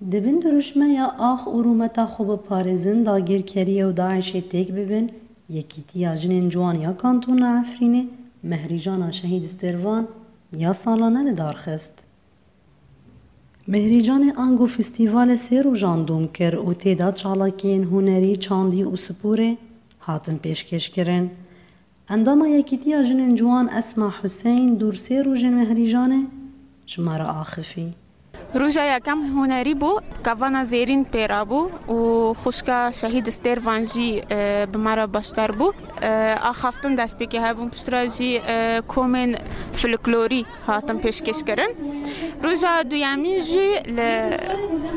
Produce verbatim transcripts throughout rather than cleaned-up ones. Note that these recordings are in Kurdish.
Di bin dirûşmeya ax û rûmeta xwe biparêzin dagirkeriyê û DAIŞê têk bibin, Yekîtiya Jinên Ciwan ya Kantona Efrînê mehrîjana Şehîd Stêrvan ya salane li dar xist. Mehrîcanê ango festîvalê sê rojan dom kir û tê de çalakiyên hunerî, çandî û sporê hatin pêşkêşkirin. Endama Yekîtiya Jinên Ciwan Esma Huseyn dûr sê rojên mehrîjanê ji me re axifî. Roja yekem hunerî bû, kevana zêrîn pê re bû û xwişka Şehîd Stêrvan jî, e, bi me re beşdar bû. E, axaftin destpêkê hebûn, piştre jî, e, komên folklorî hatin pêşkêşkirin. Roja duyemîn jî li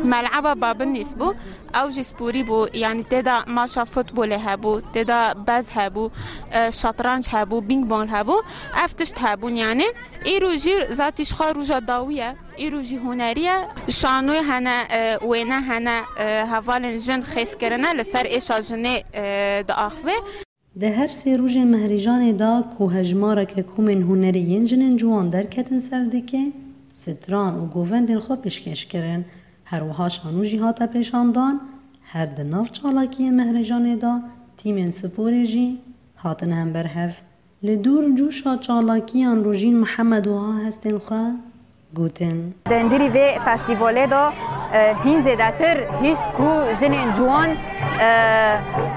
Mel'eba Babinîs bû. Ew jî sporî bû, yanî tê de maça futbolê hebû, tê de bez hebû, e, şatranc hebû, bîng bong hebû. Ev tişt hebûn yanî. Îro jî zatî ji xwe roja dawî ye. Îro jî hunerî ye. Şanoyê hene, e, wêne hene, e, hevalên jin xêz kirine li ser êşa jinê, e, diaxive. Di her sê rojên mehrîjanê de ku hejmareke komên hunerî yên jinên ciwan derketin ser dikê, stran û govendên xwe pêşkêş kirin. Her wiha şano jî hate pêşandan, her di nav çalakiyên mehrêjanê de tîmên sporê jî hatine hember hev. Li dûr cûşa çalakiyan Rojîn Mihemed wiha hestên xwe gotin. Di hundirî vê festîvalê de, e, hîn zêdetir hişt ku jinên ciwan, e,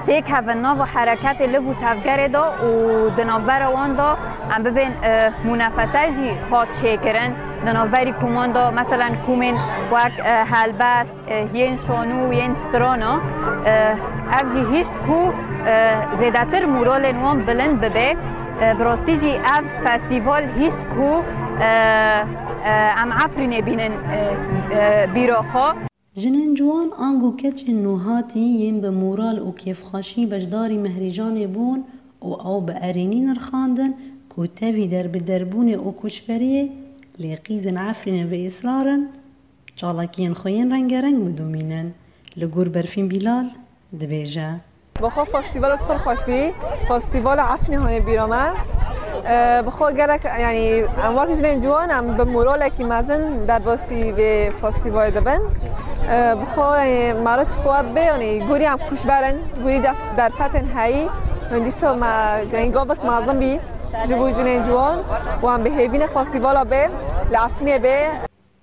têkevin nava hereketê liv û tevgerê de û di navbera wan de em bibên, e, mûnefese jî hat çêkirin. Di navberî koman de, meselen, komên wek, e, helbest, e, yên şanû, yên strana, e, ev jî hişt ku, e, zêdetir moralên wan bilind bibe. E, bi rastî jî ev festîval hişt ku, e, e, em Efrînê bînin, e, e, bîra xwe. Jinên ciwan ango keçên nûhatî yên bi moral û kêfxweşî beşdarî mehrêjanê bûn û ew bi erênî nirxandin ku tevî derbiderbûnê û koçberiyê lê qîzên Efrînê bi îsrar in çalakiyên xwe yên rengereng bidomînin. Li gor Berfîn Bîlal dibêje. Bi xwe festîvalek pir xweş bî. Festîvala Efrînê hane bîra me. Ee, bi xwe gelek, yanî em wek jinên ciwan em bi moralekî mezin derbasî vê festîvalê dibin. Ee, bi xwe, yanî, meriç xwe bê, yanî, gorî em koçber in, gorî def-, derfetên heyî. Hindî so me, yanî, gavek mezin bî ji bo jinên ciwan û em bi hêvî ne festîvala bê, li Efrînê bê.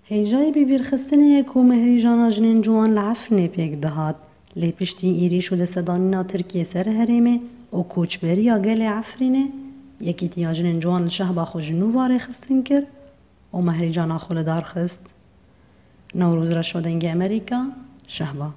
Hêjayî bibîrxistinê ye ku mehrîjana jinên ciwan li Efrînê pêk dihat. Lê piştî êrîş û destedanîna Tirkiyê ser herêmê û koçberiya gelê Efrînê, Yekîtiya Jinên Ciwan li Şehba xwe ji nû ve rêxistin kir û mehrîcana xwe li dar xist. Newroz Reşo, Dengê Amerîka, Şehba.